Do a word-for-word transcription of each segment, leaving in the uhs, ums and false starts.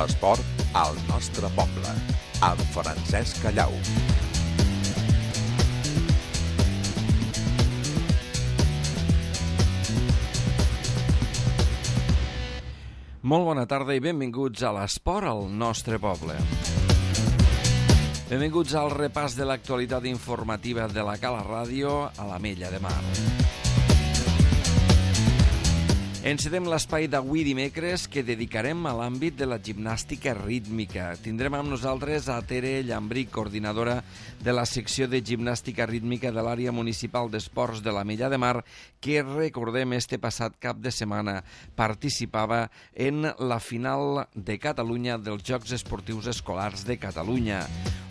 L'esport al nostre poble, amb Francesc Callau. Molt bona tarda i benvinguts a l'esport al nostre poble. Benvinguts al repàs de l'actualitat informativa de la Cala Ràdio a l'Ametlla de Mar. Encetem l'espai d'avui dimecres que dedicarem a l'àmbit de la gimnàstica rítmica. Tindrem amb nosaltres a Tere Llambric, coordinadora de la secció de gimnàstica rítmica de l'àrea municipal d'esports de l'Ametlla de Mar, que, recordem, este passat cap de setmana participava en la final de Catalunya dels Jocs Esportius Escolars de Catalunya.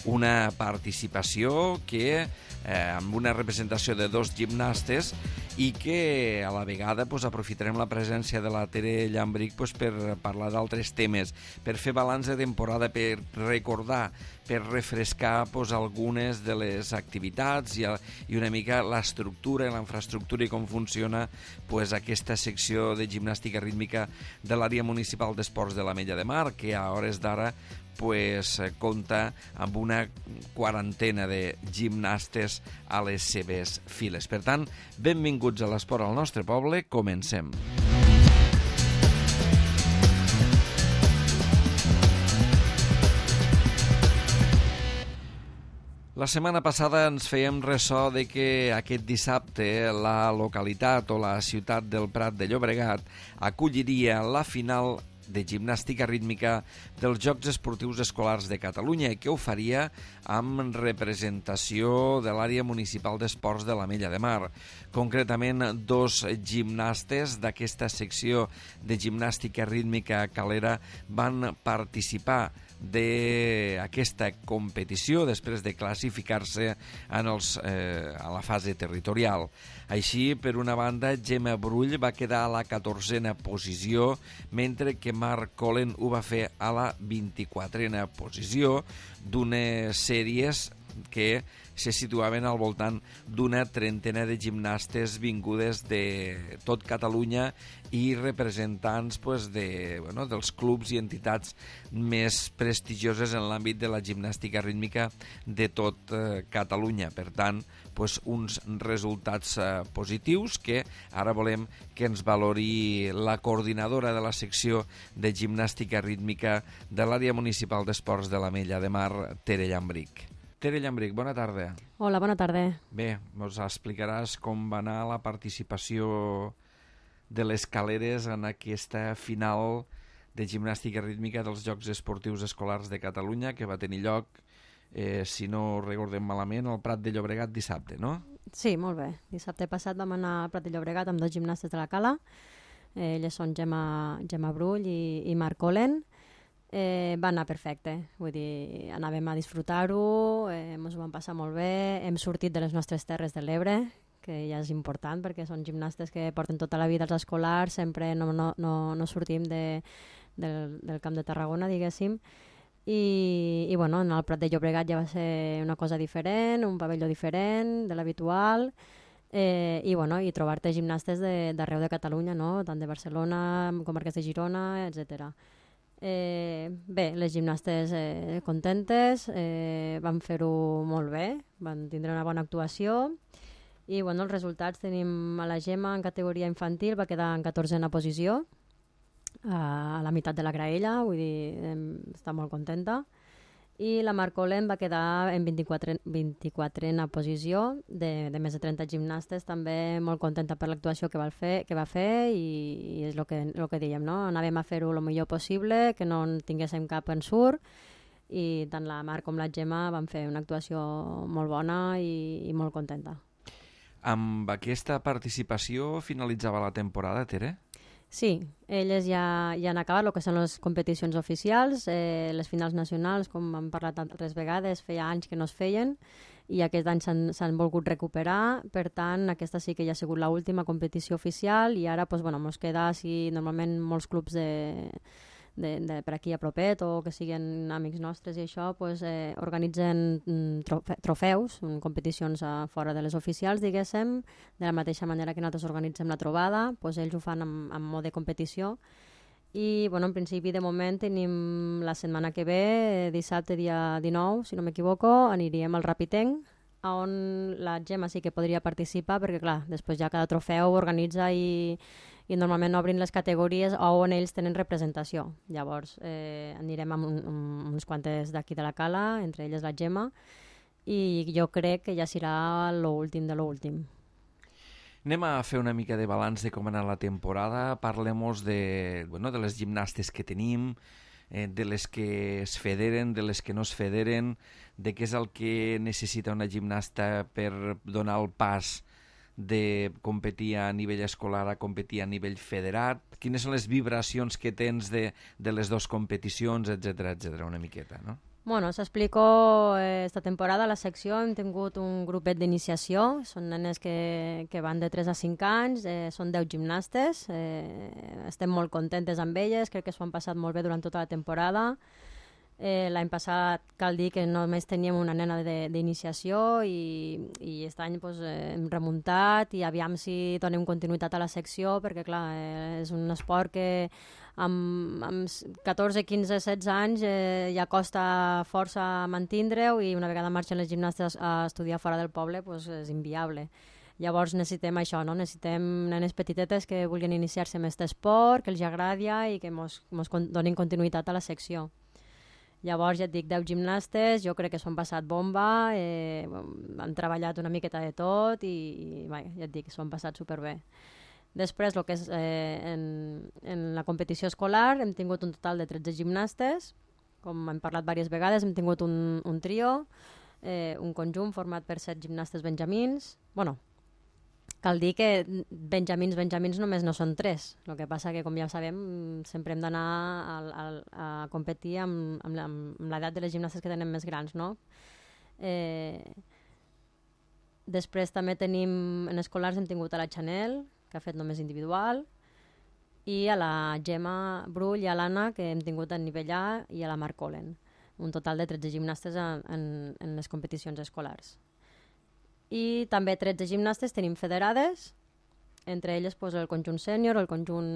Una participació que, eh, amb una representació de dos gimnastes, i que a la vegada pues, aprofitarem la presència de la Tere Llambric pues, per parlar d'altres temes, per fer balanç de temporada, per recordar, per refrescar pues, algunes de les activitats i, i una mica l'estructura i la infraestructura i com funciona pues, aquesta secció de gimnàstica rítmica de l'àrea municipal d'esports de l'Ametlla de Mar, que a hores d'ara pues, compta amb una quarantena de gimnastes a les seves files. Per tant, benvinguts a l'esport al nostre poble, comencem. La setmana passada ens fèiem ressò de que aquest dissabte la localitat o la ciutat del Prat de Llobregat acolliria la final de gimnàstica rítmica dels Jocs Esportius Escolars de Catalunya i que ho faria amb representació de l'àrea municipal d'esports de l'Ametlla de Mar. Concretament, dos gimnastes d'aquesta secció de gimnàstica rítmica calera van participar d'aquesta competició després de classificar-se en els, eh, a la fase territorial. Així, per una banda, Gemma Brull va quedar a la catorzena posició, mentre que Marc Colen ho va fer a la vint-i-quatrena posició d'unes sèries que se situaven al voltant d'una trentena de gimnastes vingudes de tot Catalunya i representants pues, de, bueno, dels clubs i entitats més prestigioses en l'àmbit de la gimnàstica rítmica de tot eh, Catalunya. Per tant, pues, uns resultats eh, positius que ara volem que ens valori la coordinadora de la secció de gimnàstica rítmica de l'àrea municipal d'esports de l'Ametlla de Mar, Tere Llambric. Tere Llambric, bona tarda. Hola, bona tarda. Bé, ens explicaràs com va anar la participació de les caleres en aquesta final de gimnàstica rítmica dels Jocs Esportius Escolars de Catalunya, que va tenir lloc, eh, si no recordem malament, al Prat de Llobregat dissabte, no? Sí, molt bé. Dissabte passat vam anar al Prat de Llobregat amb dos gimnastes de la Cala. Eh, elles són Gemma, Gemma Brull i, i Marc Colen. Eh, va anar perfecte, vull dir, anàvem a disfrutar-ho, eh, ens ho vam passar molt bé, hem sortit de les nostres terres de l'Ebre, que ja és important perquè són gimnastes que porten tota la vida als escolars, sempre no, no, no, no sortim de, del, del Camp de Tarragona, diguéssim, i, i bueno, en el Prat de Llobregat ja va ser una cosa diferent, un pavelló diferent de l'habitual, eh, i, bueno, i trobar-te gimnastes d'arreu de, de Catalunya, no? Tant de Barcelona, comarques de Girona, etcètera. Eh, bé, les gimnastes eh, contentes, eh, van fer-ho molt bé, van tindre una bona actuació i bueno, els resultats tenim a la Gemma en categoria infantil, va quedar en catorzena posició a, a la meitat de la graella, vull dir, eh, està molt contenta, i la Marc Colen va quedar en vint-i-quatrena posició de, de més de trenta gimnastes, també molt contenta per l'actuació que va fer, que va fer i, i és el que, el que dèiem, no? Anàvem a fer-ho el millor possible, que no en tinguéssim cap ensurt i tant la Marc com la Gemma van fer una actuació molt bona i, i molt contenta. Amb aquesta participació finalitzava la temporada, Tere? Sí, elles ja, ja han acabat el que són les competicions oficials, eh, les finals nacionals, com hem parlat altres vegades, feia anys que no es feien i aquest any s'han volgut recuperar, per tant aquesta sí que ja ha sigut l'última competició oficial i ara pues, bueno, ens queda, si normalment molts clubs de, de, de per aquí a propet o que siguin amics nostres i això, pues, eh, organitzen trofe trofeus, competicions a fora de les oficials, diguéssim, de la mateixa manera que nosaltres organitzem la trobada, pues, ells ho fan amb, amb mode competició I, bueno, en principi, de moment, tenim la setmana que ve, dissabte, dia dinou, si no m'equivoco, aniríem al Rapitenc, on la Gemma sí que podria participar, perquè, clar, després ja cada trofeu organitza i, i normalment obrin les categories on ells tenen representació. Llavors, eh, anirem amb, un, amb uns quantes d'aquí de la Cala, entre elles la Gemma, i jo crec que ja serà l'últim de l'últim. Anem a fer una mica de balanç de com ha anat la temporada. Parlem-nos de, bueno, de les gimnastes que tenim, eh, de les que es federen, de les que no es federen, de què és el que necessita una gimnasta per donar el pas de competir a nivell escolar a competir a nivell federat, quines són les vibracions que tens de, de les dues competicions, etcètera, etcètera, una miqueta, no? Bueno, s'explico eh, esta temporada a la secció hem tingut un grupet d'iniciació, són nenes que, que van de tres a cinc anys, eh, són deu gimnastes, eh, estem molt contentes amb elles, crec que s'ho han passat molt bé durant tota la temporada. Eh, L'any passat cal dir que només teníem una nena d'iniciació i, i aquest any pues, eh, hem remuntat i aviam si donem continuïtat a la secció perquè clar, eh, és un esport que amb, amb catorze, quinze, setze anys eh, ja costa força mantindre-ho i una vegada marxen les gimnastes a estudiar fora del poble pues, és inviable. Llavors necessitem això, no? Necessitem nenes petitetes que vulguin iniciar-se en aquest esport, que els agradi i que ens donin continuïtat a la secció. Llavors, ja et dic, deu gimnastes, jo crec que s'ho han passat bomba, eh, han treballat una miqueta de tot i, i bé, ja et dic, s'ho han passat superbé. Després, el que és, eh, en, en la competició escolar, hem tingut un total de tretze gimnastes, com hem parlat diverses vegades, hem tingut un, un trio, eh, un conjunt format per set gimnastes benjamins, bueno, cal dir que benjamins, benjamins només no són tres. El que passa que, com ja sabem, sempre hem d'anar a, a, a competir amb, amb l'edat de les gimnastes que tenen més grans, no? Eh, després també tenim, en escolars hem tingut a la Chanel, que ha fet només individual, i a la Gemma Brull i a l'Anna, que hem tingut a nivell A, i a la Marc Olen. Un total de tretze gimnastes en, en, en les competicions escolars. I també tretze gimnastes tenim federades, entre elles pues, el conjunt sènior, el conjunt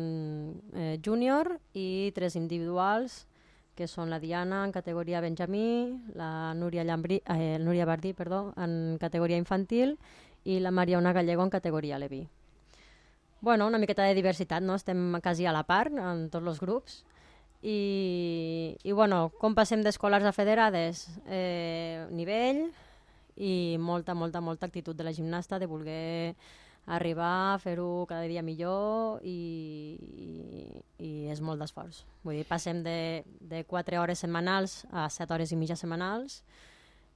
eh, júnior i tres individuals, que són la Diana en categoria benjamí, la Núria, Llambrí, eh, Núria Bardí perdó, en categoria infantil i la Mariona Gallego en categoria Leví. Bueno, una miqueta de diversitat, no? Estem quasi a la part en tots els grups. I, i bueno, com passem d'escolars a federades? Eh, nivell... i molta, molta, molta actitud de la gimnasta de voler arribar a fer-ho cada dia millor i, i, i és molt d'esforç. Vull dir, passem de, de quatre hores setmanals a set hores i mitja setmanals,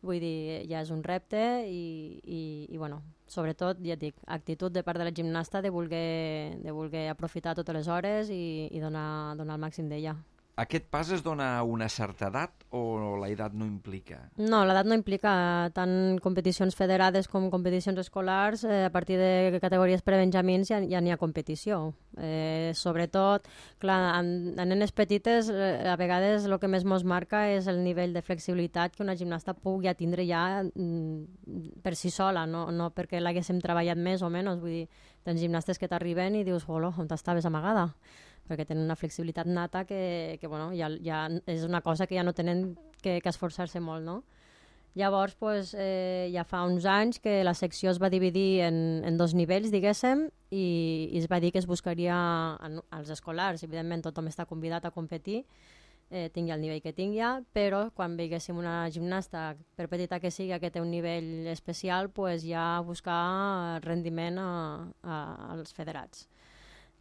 vull dir, ja és un repte i, i, i bueno, sobretot, ja et dic, actitud de part de la gimnasta de voler, de voler aprofitar totes les hores i, i donar, donar el màxim d'ella. Aquest pas es dona a una certa edat o la edat no implica? No, l'edat no implica tant competicions federades com competicions escolars. Eh, a partir de categories prebenjamins ja, ja n'hi ha competició. Eh, sobretot, clar, en, en nenes petites eh, a vegades el que més mos marca és el nivell de flexibilitat que una gimnasta pugui tindre ja mm, per si sola, no, no perquè l'haguéssim treballat més o menys. Vull dir, tens gimnastes que t'arriben i dius, hola, on t'estaves amagada? Perquè tenen una flexibilitat nata que, que bueno, ja, ja és una cosa que ja no tenen que, que esforçar-se molt, no? Llavors, pues, eh, ja fa uns anys que la secció es va dividir en, en dos nivells, diguéssim, i, i es va dir que es buscaria en, als escolars. Evidentment, tothom està convidat a competir, eh, tingui el nivell que tingui, però quan veiéssim una gimnasta, per petita que sigui, que té un nivell especial, pues, ja buscar rendiment a, a, als federats.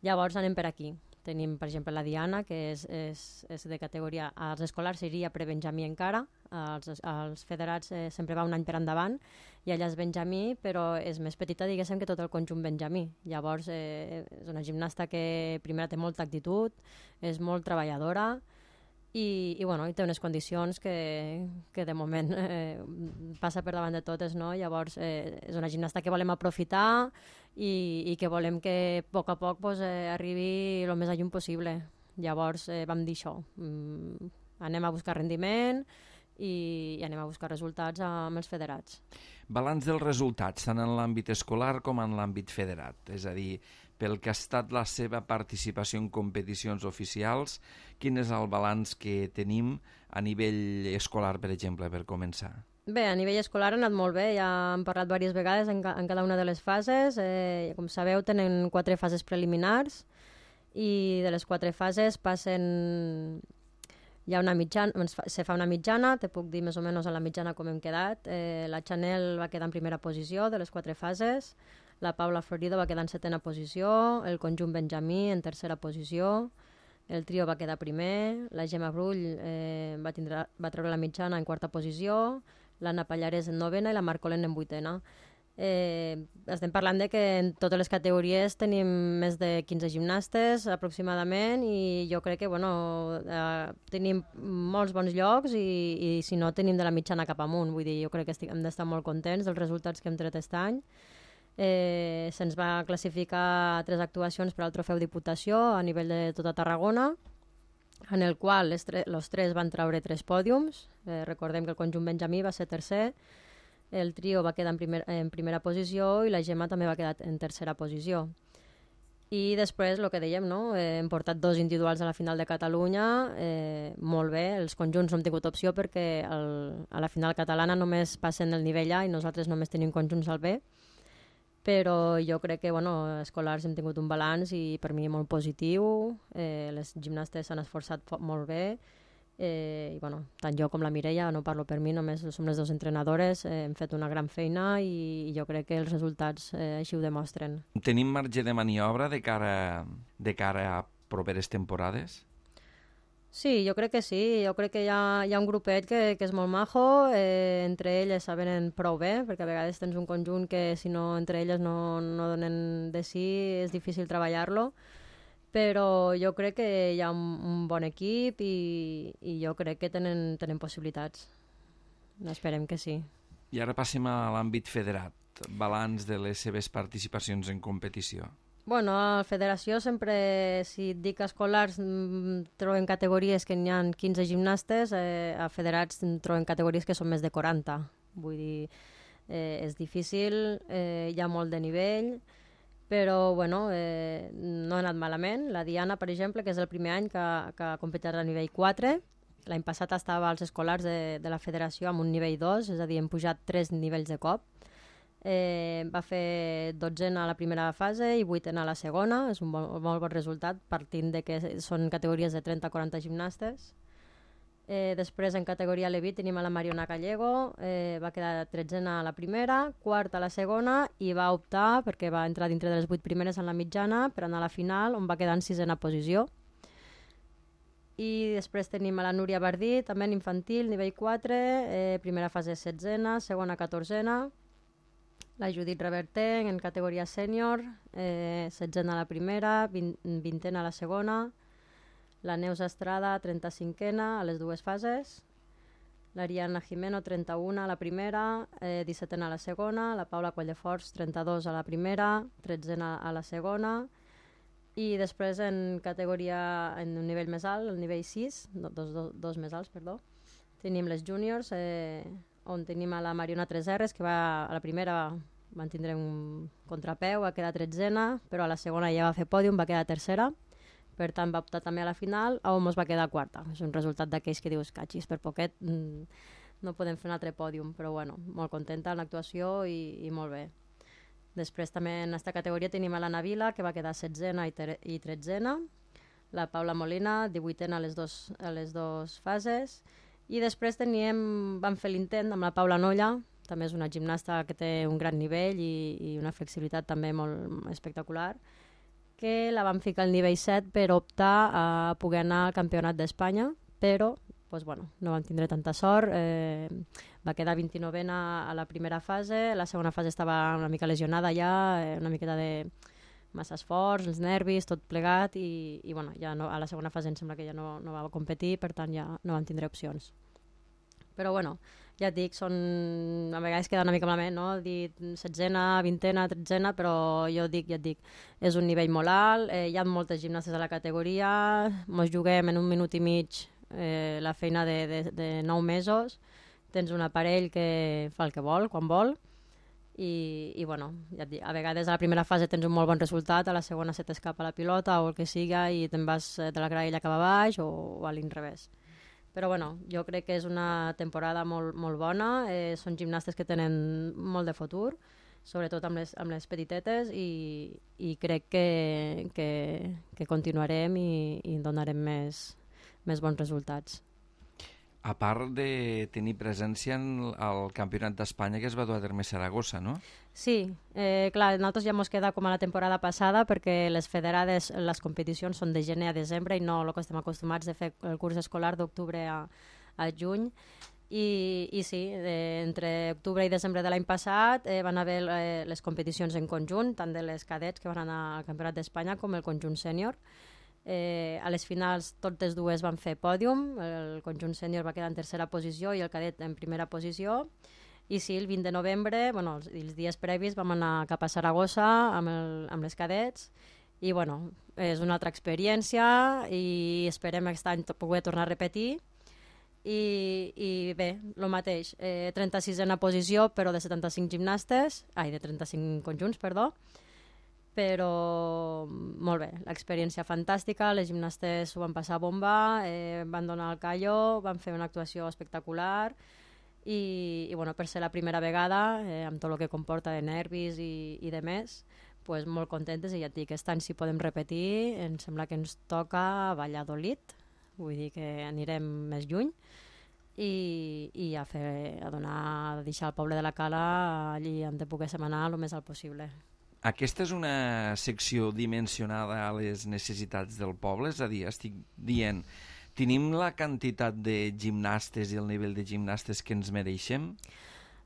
Llavors anem per aquí. Tenim, per exemple, la Diana, que és, és, és de categoria... Als escolars seria prebenjamí encara, als, als federats eh, sempre va un any per endavant, i ella és benjamí, però és més petita, diguéssim, que tot el conjunt benjamí. Llavors, eh, és una gimnasta que primer té molta actitud, és molt treballadora, i, i, bueno, i té unes condicions que, que de moment eh, passa per davant de totes, no? Llavors eh, és una gimnasta que volem aprofitar i, i que volem que a poc a poc pues, eh, arribi el més lluny possible. Llavors eh, vam dir això, mm, anem a buscar rendiment i, i anem a buscar resultats amb els federats. Balanç dels resultats, tant en l'àmbit escolar com en l'àmbit federat. És a dir, pel que ha estat la seva participació en competicions oficials. Quin és el balanç que tenim a nivell escolar, per exemple, per començar? Bé, a nivell escolar ha anat molt bé, ja hem parlat diverses vegades en, ca en cada una de les fases. Eh, com sabeu, tenen quatre fases preliminars i de les quatre fases passen... Hi ha una mitjana, se fa una mitjana, te puc dir més o menys a la mitjana com hem quedat. Eh, la Chanel va quedar en primera posició de les quatre fases, la Paula Florido va quedar en setena posició, el conjunt Benjamí en tercera posició, el trio va quedar primer, la Gemma Brull eh, va, tindre, va treure la mitjana en quarta posició, l'Anna Pallarès en novena i la Marcolén en vuitena. Eh, estem parlant de que en totes les categories tenim més de quinze gimnastes aproximadament i jo crec que bueno, eh, tenim molts bons llocs i, i si no tenim de la mitjana cap amunt, vull dir, jo crec que estic, hem d'estar molt contents dels resultats que hem tret aquest any. Eh, se'ns va classificar tres actuacions per al trofeu Diputació a nivell de tota Tarragona, en el qual els tre tres van treure tres pòdiums. Eh, recordem que el conjunt Benjamí va ser tercer, el trio va quedar en, primer, en primera posició i la Gemma també va quedar en tercera posició. I després, el que dèiem, no? eh, hem portat dos individuals a la final de Catalunya, eh, molt bé, els conjunts no hem tingut opció perquè el, a la final catalana només passen el nivell A i nosaltres només tenim conjunts al B, però jo crec que bueno, escolars hem tingut un balanç i per mi molt positiu, eh, les gimnastes s'han esforçat molt bé, eh, i bueno, tant jo com la Mireia, no parlo per mi, només som les dues entrenadores, eh, hem fet una gran feina i, i jo crec que els resultats eh, així ho demostren. Tenim marge de maniobra de cara, de cara a properes temporades? Sí, jo crec que sí, jo crec que hi ha, hi ha un grupet que, que és molt majo, eh, entre elles saben prou bé, perquè a vegades tens un conjunt que si no entre elles no, no donen de sí és difícil treballar-lo, però jo crec que hi ha un, un bon equip i, i jo crec que tenen, tenen possibilitats, esperem que sí. I ara passem a l'àmbit federat, balanç de les seves participacions en competició. Bueno, a la federació sempre, si et dic escolars, troben categories que n'hi ha quinze gimnastes, eh, a federats troben categories que són més de quaranta. Vull dir, eh, és difícil, eh, hi ha molt de nivell, però bueno, eh, no ha anat malament. La Diana, per exemple, que és el primer any que, que ha competit a nivell quatre, l'any passat estava als escolars de, de la federació amb un nivell dos, és a dir, hem pujat tres nivells de cop. Eh, va fer dotzena a la primera fase i vuitena a la segona, és un molt, molt bon resultat partint de que són categories de trenta a quaranta gimnastes. Eh, després en categoria Levit tenim a la Mariona Gallego, eh, va quedar tretzena a la primera, quarta a la segona i va optar, perquè va entrar dintre de les vuit primeres en la mitjana, per anar a la final on va quedar en sisena posició. I després tenim a la Núria Bardí, també en infantil, nivell quatre, eh, primera fase setzena, segona catorzena. La Judit Reverter en categoria sènior, eh, setzena a la primera, vint, vintena a la segona. La Neus Estrada, trenta-cinquena a les dues fases. L'Ariana Jimeno, trenta-una a la primera, eh, dissetena a la segona. La Paula Colldeforts, trenta-dos a la primera, tretzena a la segona. I després en categoria, en un nivell més alt, el nivell sis, dos, dos, dos més alts, perdó, tenim les júniors, eh, on tenim a la Mariona tres erres, que va, a la primera van tindre un contrapeu, va quedar tretzena, però a la segona ja va fer pòdium, va quedar tercera, per tant va optar també a la final, on mos va quedar quarta. És un resultat d'aquells que dius, catxis, per poquet mmm, no podem fer un altre pòdium, però bueno, molt contenta en l'actuació i, i molt bé. Després també en aquesta categoria tenim a l'Anna Vila, que va quedar setzena i, i tretzena, la Paula Molina, divuitena a les dos, a les dos fases, i després teníem, vam fer l'intent amb la Paula Nolla, també és una gimnasta que té un gran nivell i, i una flexibilitat també molt espectacular, que la vam ficar al nivell set per optar a poder anar al campionat d'Espanya, però pues, bueno, no vam tindre tanta sort, eh, va quedar vint-i-novena a la primera fase, la segona fase estava una mica lesionada ja, eh, una miqueta de massa esforç, els nervis, tot plegat i, i bueno, ja no, a la segona fase em sembla que ja no, no va competir, per tant ja no vam tindre opcions. Però bueno, ja et dic, són, a vegades queda una mica malament, no? Dir setzena, vintena, tretzena, però jo dic, ja et dic, és un nivell molt alt, eh, hi ha moltes gimnastes a la categoria, mos juguem en un minut i mig eh, la feina de, de, de nou mesos, tens un aparell que fa el que vol, quan vol, i, i bueno, ja et dic, a vegades a la primera fase tens un molt bon resultat, a la segona se t'escapa la pilota o el que siga i te'n vas de la graella cap a baix o, o a l'inrevés. Però bueno, jo crec que és una temporada molt, molt bona, eh, són gimnastes que tenen molt de futur, sobretot amb les, amb les petitetes, i, i crec que, que, que continuarem i, i donarem més, més bons resultats. A part de tenir presència en el Campionat d'Espanya que es va dur a terme a Saragossa, no? Sí, eh, clar, nosaltres ja ens queda com a la temporada passada perquè les federades, les competicions són de gener a desembre i no el que estem acostumats de fer el curs escolar d'octubre a, a juny. I, i sí, eh, entre octubre i desembre de l'any passat eh, van haver eh, les competicions en conjunt, tant de les cadets que van anar al Campionat d'Espanya com el conjunt sènior. Eh, a les finals totes dues van fer pòdium, el conjunt sènior va quedar en tercera posició i el cadet en primera posició. I sí, el vint de novembre, bueno, els, els dies previs vam anar cap a Saragossa amb, el, amb les cadets i bueno, és una altra experiència i esperem aquest any poder tornar a repetir. I, i bé, el mateix, eh, trenta-sisena posició però de setanta-cinc gimnastes, ai, de trenta-cinc conjunts, perdó, però molt bé, l'experiència fantàstica, les gimnastes ho van passar bomba, eh, van donar el callo, van fer una actuació espectacular i, i bueno, per ser la primera vegada, eh, amb tot el que comporta de nervis i, i de més, pues, molt contentes i ja et dic, aquest any si podem repetir, em sembla que ens toca Valladolid, vull dir que anirem més lluny i, i a, fer, a donar, a deixar el poble de la Cala allí on te poguéssim anar el més alt possible. Aquesta és una secció dimensionada a les necessitats del poble? És a dir, estic dient, tenim la quantitat de gimnastes i el nivell de gimnastes que ens mereixem?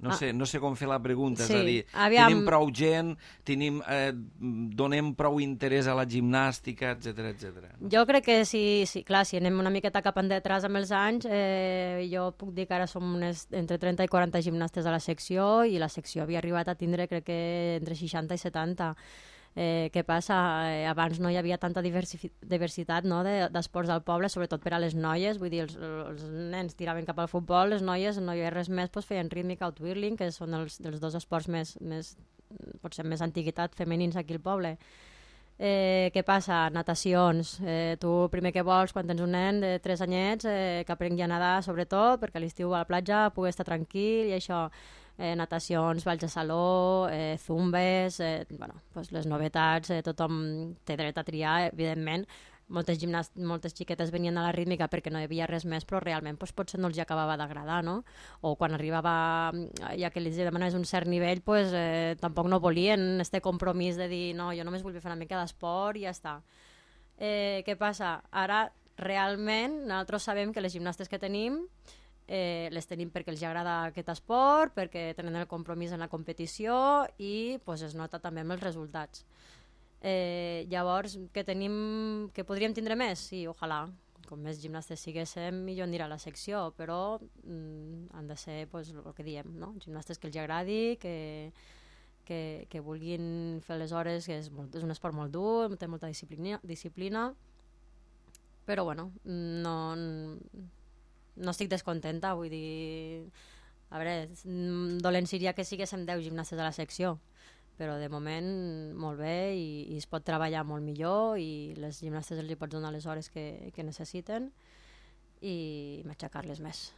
No, ah. sé, no sé com fer la pregunta, sí. És a dir, Aviam... tenim prou gent, tenim, eh, donem prou interès a la gimnàstica, etcètera, etcètera. Jo crec que sí, sí, clar, si anem una miqueta cap endetràs amb els anys, eh, jo puc dir que ara som unes, entre trenta i quaranta gimnastes a la secció i la secció havia arribat a tindre, crec que entre seixanta i setanta. Eh, què passa? Eh, abans no hi havia tanta diversitat no, d'esports de, al poble, sobretot per a les noies, vull dir, els, els nens tiraven cap al futbol, les noies no hi havia res més, doncs feien rítmica o twirling, que són els, els dos esports més, més, potser més antiguitat femenins aquí al poble. Eh, què passa? Natacions. Eh, tu primer que vols, quan tens un nen de tres anyets, eh, que aprengui a nedar, sobretot, perquè a l'estiu a la platja pugui estar tranquil i això... Eh, natacions, balls de saló, eh, zumbes, eh, bueno, pues les novetats, eh, tothom té dret a triar, evidentment. Moltes, gimnast moltes xiquetes venien a la rítmica perquè no hi havia res més, però realment pues, potser no els acabava d'agradar, no? O quan arribava, ja que els demanaves un cert nivell, pues, eh, tampoc no volien este compromís de dir no, jo només vull fer una mica d'esport i ja està. Eh, què passa? Ara, realment, nosaltres sabem que les gimnastes que tenim Eh, les tenim perquè els agrada aquest esport, perquè tenen el compromís en la competició i pues, es nota també amb els resultats. Eh, llavors, que tenim, que podríem tindre més? Sí, ojalà. Com més gimnastes siguéssim, millor anirà a la secció, però mm, han de ser pues, el que diem, no? Gimnastes que els agradi, que, que, que vulguin fer les hores, que és, molt, és un esport molt dur, té molta disciplina, disciplina però bueno, no... no estic descontenta, vull dir... A veure, dolent seria que siguéssim deu gimnastes a la secció, però de moment molt bé i, i es pot treballar molt millor i les gimnastes els hi pots donar les hores que, que necessiten i matxacar-les més.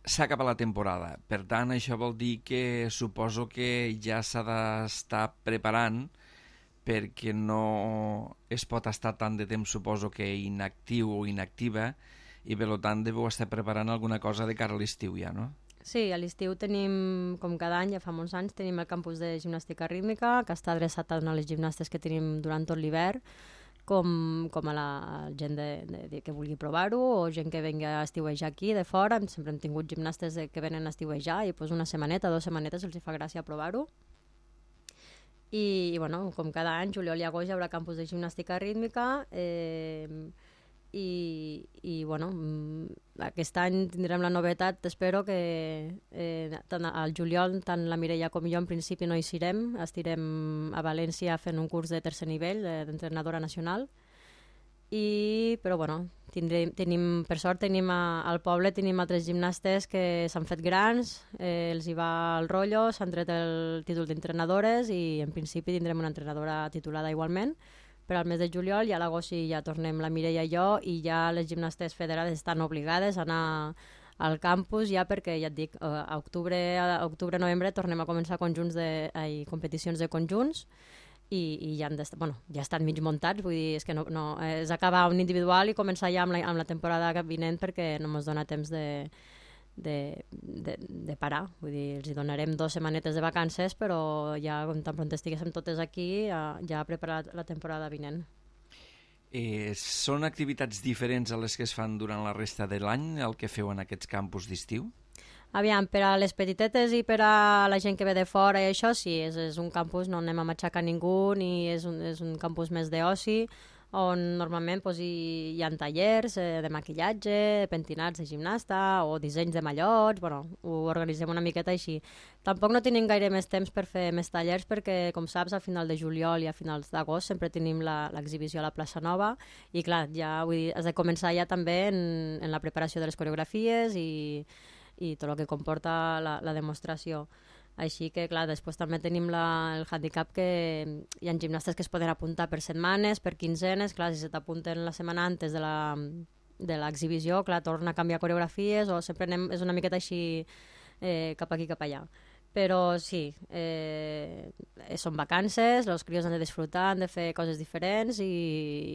S'ha acabat la temporada, per tant això vol dir que suposo que ja s'ha d'estar preparant perquè no es pot estar tant de temps, suposo que inactiu o inactiva, i per tant deveu estar preparant alguna cosa de cara a l'estiu ja, no? Sí, a l'estiu tenim, com cada any, ja fa molts anys, tenim el campus de gimnàstica rítmica, que està adreçat a les gimnastes que tenim durant tot l'hivern, com, com a la gent de, de, de, que vulgui provar-ho, o gent que venga a estiuejar aquí, de fora. Sempre hem tingut gimnastes de, que venen a estiuejar i pues, una setmaneta, dues setmanetes els fa gràcia provar-ho. I, i bueno, com cada any, juliol i agost hi haurà campus de gimnàstica rítmica eh, i, i bueno, aquest any tindrem la novetat, espero que eh, tant al juliol tant la Mireia com jo en principi no hi serem, estirem a València fent un curs de tercer nivell d'entrenadora nacional i, però bueno, tindrem, tenim, per sort tenim a, al poble tenim altres gimnastes que s'han fet grans, eh, els hi va el rotllo, s'han tret el títol d'entrenadores i en principi tindrem una entrenadora titulada igualment. Per al mes de juliol i a l'agost ja tornem la Mireia i jo i ja les gimnastes federades estan obligades a anar al campus ja perquè, ja et dic, a octubre, a octubre novembre tornem a començar conjunts de, ai, competicions de conjunts i, i ja, han bueno, ja estan mig muntats, vull dir, és que no, no, és acabar un individual i començar ja amb la, amb la temporada vinent perquè no ens dona temps de, de, de, de parar, vull dir, els hi donarem dues setmanetes de vacances, però ja tan pront estiguéssim totes aquí, ja, ja ha preparat la temporada vinent. Eh, són activitats diferents a les que es fan durant la resta de l'any, el que feu en aquests campus d'estiu? Aviam, per a les petitetes i per a la gent que ve de fora i això, sí, és, és un campus, no anem a matxacar ningú, ni és un, és un campus més d'oci, on normalment pues, hi, hi ha tallers eh, de maquillatge, de pentinats de gimnasta o dissenys de mallots, bueno, ho organitzem una miqueta així. Tampoc no tenim gaire més temps per fer més tallers perquè, com saps, a final de juliol i a finals d'agost sempre tenim l'exhibició a la plaça Nova i clar, ja vull dir, has de començar ja també en, en la preparació de les coreografies i, i tot el que comporta la, la demostració. Així que, clar, després també tenim la, el handicap que hi ha gimnastes que es poden apuntar per setmanes, per quinzenes, clar, si se t'apunten la setmana antes de la de l'exhibició, clar, torna a canviar coreografies o sempre anem, és una miqueta així eh, cap aquí, cap allà. Però sí, eh, són vacances, els crios han de disfrutar, han de fer coses diferents i,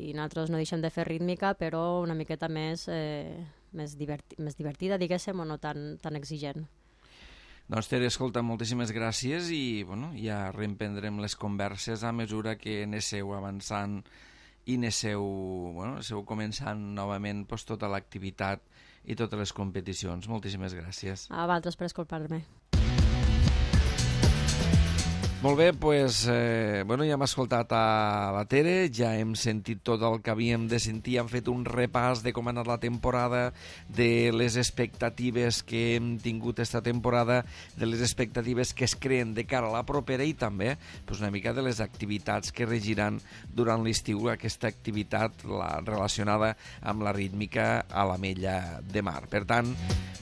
i nosaltres no deixem de fer rítmica, però una miqueta més, eh, més, diverti, més divertida, diguéssim, o no tan, tan exigent. Doncs Tere, escolta, moltíssimes gràcies i bueno, ja reemprendrem les converses a mesura que anesseu avançant i anesseu, bueno, anesseu començant novament pues, tota l'activitat i totes les competicions. Moltíssimes gràcies. A vosaltres per escoltar-me. Molt bé, doncs, eh, bueno, ja hem escoltat a la Tere, ja hem sentit tot el que havíem de sentir, hem fet un repàs de com ha anat la temporada, de les expectatives que hem tingut esta temporada, de les expectatives que es creen de cara a la propera i també doncs, una mica de les activitats que regiran durant l'estiu, aquesta activitat la, relacionada amb la rítmica a l'Ametlla de Mar. Per tant,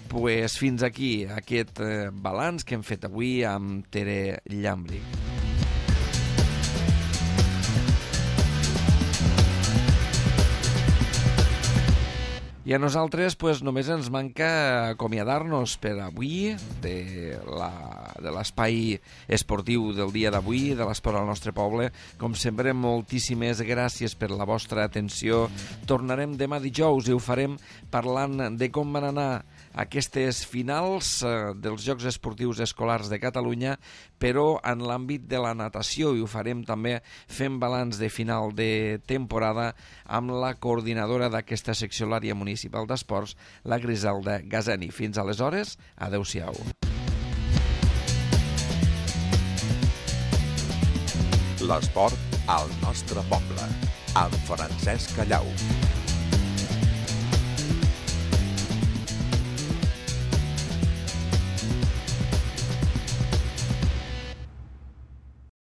pues, fins aquí aquest eh, balanç que hem fet avui amb Tere Llambri. I a nosaltres pues, només ens manca acomiadar-nos per avui de l'espai esportiu del dia d'avui, de l'esport al nostre poble. Com sempre, moltíssimes gràcies per la vostra atenció. Tornarem demà dijous i ho farem parlant de com van anar aquestes finals eh, dels Jocs Esportius Escolars de Catalunya, però en l'àmbit de la natació, i ho farem també fent balanç de final de temporada amb la coordinadora d'aquesta secció, l'àrea municipal d'esports, la Griselda Gazani. Fins aleshores, adeu-siau. L'esport al nostre poble, amb Francesc Callau.